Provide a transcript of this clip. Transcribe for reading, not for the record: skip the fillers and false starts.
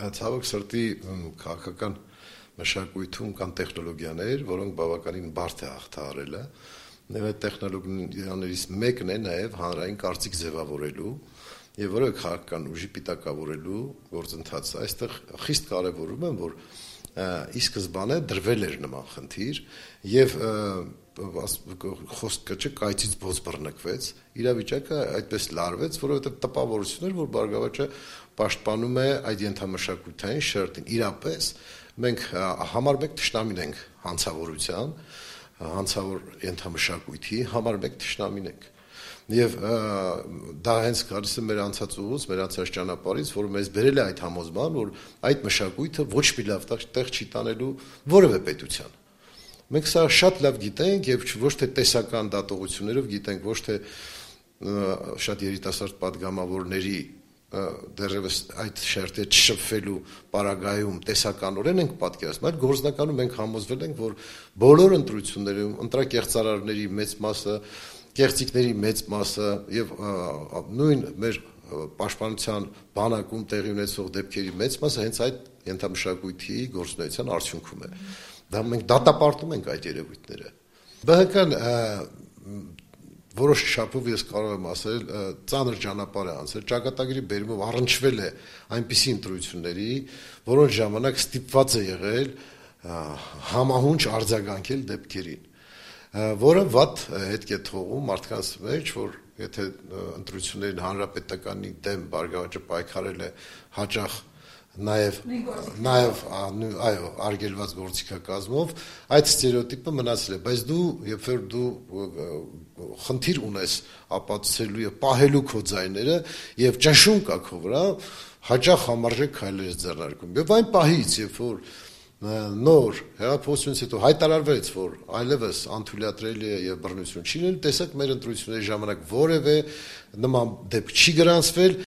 Ցավոք սրտի քաղաքական մշակույթում կան տեխնոլոգիաներ, որոնք բավականին բարդ է հաղթահարելը, եւ այդ տեխնոլոգիաներից մեկն է նաեւ հանրային կարծիք ձևավորելու եւ որը քաղաքական ուժի պիտակավորելու գործընթացը։ Այստեղ խիստ կարեւորում եմ, որ ի սկզբանե դրվել էր նման խնդիր եւ խոսքը չէ կայծից բոց բռնկվեց, իրավիճակը այդպես լարվեց, որովհետեւ տպավորություն էր, որ Բարգավաճը պաշտպանում է այդ ենթամշակութային շերտին։ Իրապես մենք համար մեկ թշնամին ենք հանցավորության, հանցավոր ենթամշակույթի համար մեկ թշնամին ենք։ Եվ դա հենց գալիս է մեր անցած ուղուց, մեր անցած ճանապարհից, որը մեզ բերել է այդ համոզման, որ այդ մշակույթը ոչ մի լավ տեղ չի տանելու որևէ պետության։ Մենք սա շատ լավ գիտենք եւ ոչ թե տեսական դատողություններով գիտենք, ոչ թե շատ երիտասարդ падգամավորների դեռևս այդ շերտը չշփվելու պարագայում տեսականորեն ենք պատկերացնում, այլ գործնականում մենք համոզվել ենք, որ բոլոր ընտրություններում ընտրակեղծարարների մեծ մասը, կեղծիքների մեծ մասը եւ նույն մեր պաշտպանության բանակում տեղի ունեցող դեպքերի մեծ մասը հենց այդ ենթամշակույթի գործունեության արդյունքում է։ Դա մենք դատապարտում ենք այդ երևույթները։ ԲՀԿ-ն որոշ չափով ես կարող եմ ասել ծանր ճանապարհ է անցել, ճակատագրի բերումով առնչվել է այնպիսի ընտրությունների, որոնց ժամանակ ստիպված է եղել համահունչ արձագանքել դեպքերին, որը վատ հետք է թողում մարդկանց մեջ, որ եթե ընտրություններին հանրապետականի դեմ Բարգավաճը պայքարել է հաճախ նաև արգելված գործիքակազմով, այդ ստերեոտիպը մնացել է, բայց դու երբ որ դու խնդիր ունես ապացուցելու եւ պահելու քո ձայները եւ ճնշում կա քո վրա, հաճախ համարժեք քայլեր ես ձեռնարկում։ Եվ այն պահից, երբ որ նոր հեղափոխությունից հետո հայտարարվեց, որ այլևս անթույլատրելի է եւ բռնություն չի լինելու, տեսեք մեր ընտրությունների ժամանակ որևէ նման դեպք չի գրանցվել